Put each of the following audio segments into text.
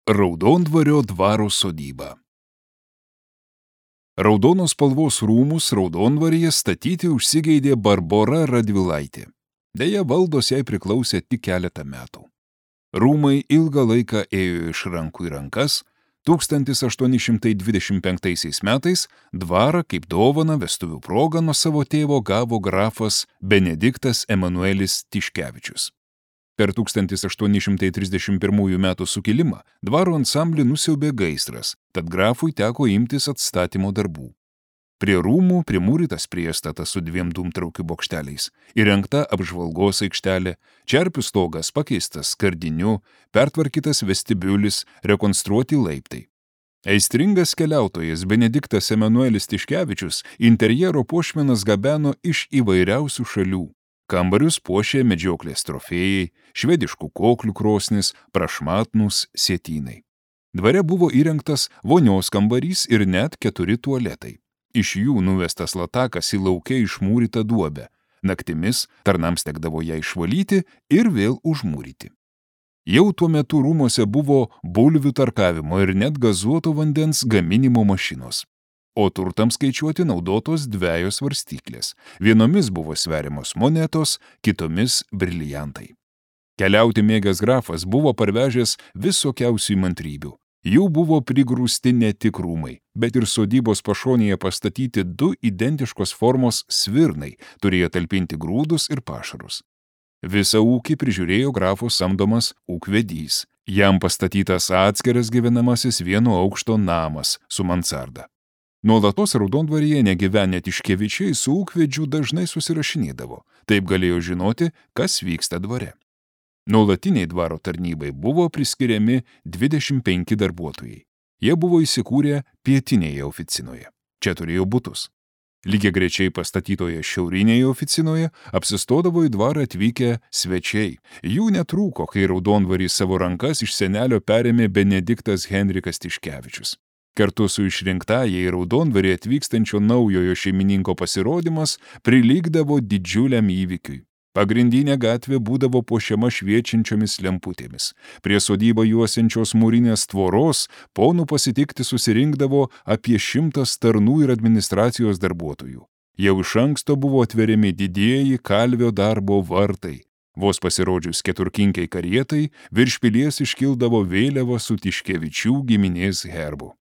Raudondvario dvaro sodyba. Raudonos spalvos rūmus Raudondvaryje statyti užsigeidė Barbora Radvilaitė. Deja, valdos jai priklausė tik keletą metų. Rūmai ilgą laiką ėjo iš rankų į rankas. 1825 metais dvarą kaip dovaną vestuvių progą nuo savo tėvo gavo grafas Benediktas Emanuelis Tiškevičius. Per 1831 metų sukilimą dvaro ansamblį nusiaubė gaisras, tad grafui teko imtis atstatymo darbų. Prie rūmų primūrytas priestatas su 2 dūmtraukių bokšteliais, įrengta apžvalgos aikštelė, čerpių stogas pakeistas skardiniu, pertvarkytas vestibiulis, rekonstruoti laiptai. Aistringas keliautojas Benediktas Emanuelis Tiškevičius interjero puošmenas gabeno iš įvairiausių šalių. Kambarius puošė medžioklės trofėjai, švediškų koklių krosnis, prašmatnūs sietynai. Dvare buvo įrengtas vonios kambarys ir net 4 tualetai. Iš jų nuvestas latakas į lauke išmūrytą duobę. Naktimis tarnams tekdavo ją išvalyti ir vėl užmūryti. Jau tuo metu rūmuose buvo bulvių tarkavimo ir net gazuoto vandens gaminimo mašinos. O turtams skaičiuoti naudotos 2 svarstyklės. Vienomis buvo sveriamos monetos, kitomis briliantai. Keliauti mėgęs grafas buvo parvežęs visokiausių įmantrybių. Jų buvo prigrūsti ne tik rūmai, bet ir sodybos pašonėje pastatyti 2 identiškos formos svirnai, turėjo talpinti grūdus ir pašarus. Visą ūkį prižiūrėjo grafo samdomas ūkvedys. Jam pastatytas atskiras gyvenamasis 1 aukšto namas su mansarda. Nuolatos Raudondvaryje negyvenę Tiškevičiai su ūkvedžiu dažnai susirašinėdavo, taip galėjo žinoti, kas vyksta dvare. Nuolatiniai dvaro tarnybai buvo priskiriami 25 darbuotojai. Jie buvo įsikūrę pietinėje oficinoje. Čia turėjo butus. Lygiagrečiai pastatytoje šiaurinėje oficinoje apsistodavo į dvarą atvykę svečiai. Jų netrūko, kai Raudondvarį savo rankas iš senelio perėmė Benediktas Henrikas Tiškevičius. Kartu su išrinktąja į Raudondvarį atvykstančio naujojo šeimininko pasirodymas prilygdavo didžiuliam įvykiui. Pagrindinė gatvė būdavo puošiama šviečiančiomis lemputėmis. Prie sodybą juosiančios mūrinės tvoros ponų pasitikti susirinkdavo apie 100 tarnų ir administracijos darbuotojų. Jau iš anksto buvo atveriami didieji kalvio darbo vartai. Vos pasirodžius keturkinkiai karietai, virš pilies iškildavo vėliava su Tiškevičių giminės herbu.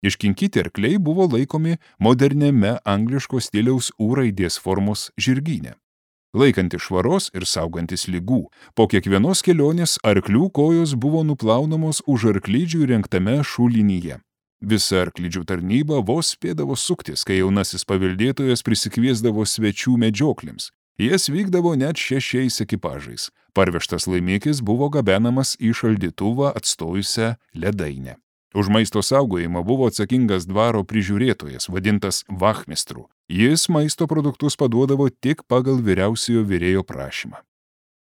Iškinkyti arkliai buvo laikomi moderniame angliško stiliaus U raidės formos žirgyne. Laikantis švaros ir saugantis ligų, po kiekvienos kelionės arklių kojos buvo nuplaunamos už arklidžių įrengtame šulinyje. Visa arklidžių tarnyba vos spėdavo suktis, kai jaunasis paveldėtojas prisikviesdavo svečių medžioklėms. Jas vykdavo net 6 ekipažais. Parvežtas laimikis buvo gabenamas į šaldytuvą atstojusią ledainę. Už maisto saugojimą buvo atsakingas dvaro prižiūrėtojas, vadintas vachmistru. Jis maisto produktus paduodavo tik pagal vyriausiojo virėjo prašymą.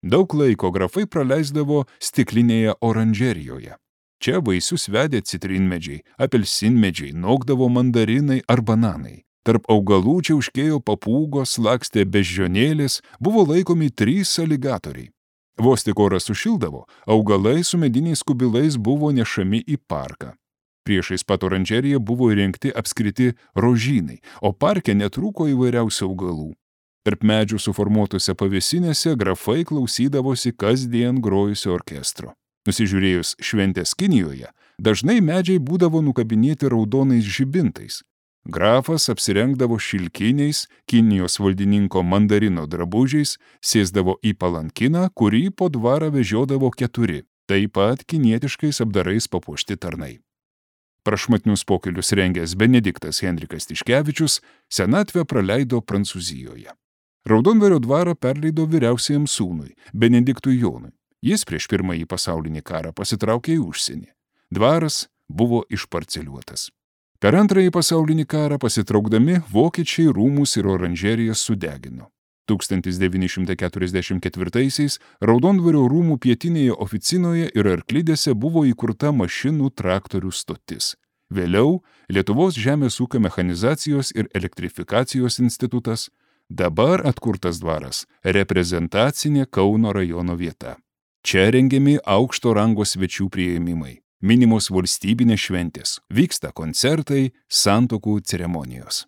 Daug laiko grafai praleisdavo stiklinėje oranžerijoje. Čia vaisius vedė citrinmedžiai, apelsinmedžiai, nokdavo mandarinai ar bananai. Tarp augalų čiauškėjo papūgos, lakstė beždžionėlės, buvo laikomi 3 aligatoriai. Vos tik oras sušildavo, augalai su mediniais kubilais buvo nešami į parką. Priešais pat oranžeriją buvo įrengti apskriti rožynai, o parke netrūko įvairiausių augalų. Tarp medžių suformuotose pavėsinėse grafai klausydavosi kasdien grojusio orkestro. Nusižiūrėjus šventės Kinijoje, dažnai medžiai būdavo nukabinėti raudonais žibintais. Grafas apsirengdavo šilkiniais, Kinijos valdininko mandarino drabužiais, sėsdavo į palankiną, kurį po dvarą vežiodavo 4, taip pat kinietiškais apdarais papuošti tarnai. Prašmatnius pokylius rengęs Benediktas Henrikas Tiškevičius senatvę praleido Prancūzijoje. Raudondvario dvarą perleido vyriausiajam sūnui, Benediktui Jonui. Jis prieš Pirmąjį pasaulinį karą pasitraukė į užsienį. Dvaras buvo išparceliuotas. Per Antrąjį pasaulinį karą pasitraukdami vokiečiai rūmus ir oranžerijas sudegino. 1944-aisiais Raudondvario rūmų pietinėje oficinoje ir arklidėse buvo įkurta mašinų traktorių stotis. Vėliau Lietuvos žemės ūkio mechanizacijos ir elektrifikacijos institutas, dabar atkurtas dvaras, reprezentacinė Kauno rajono vieta. Čia rengiami aukšto rango svečių priėmimai. minimos valstybinės šventės, vyksta koncertai, santuokų ceremonijos.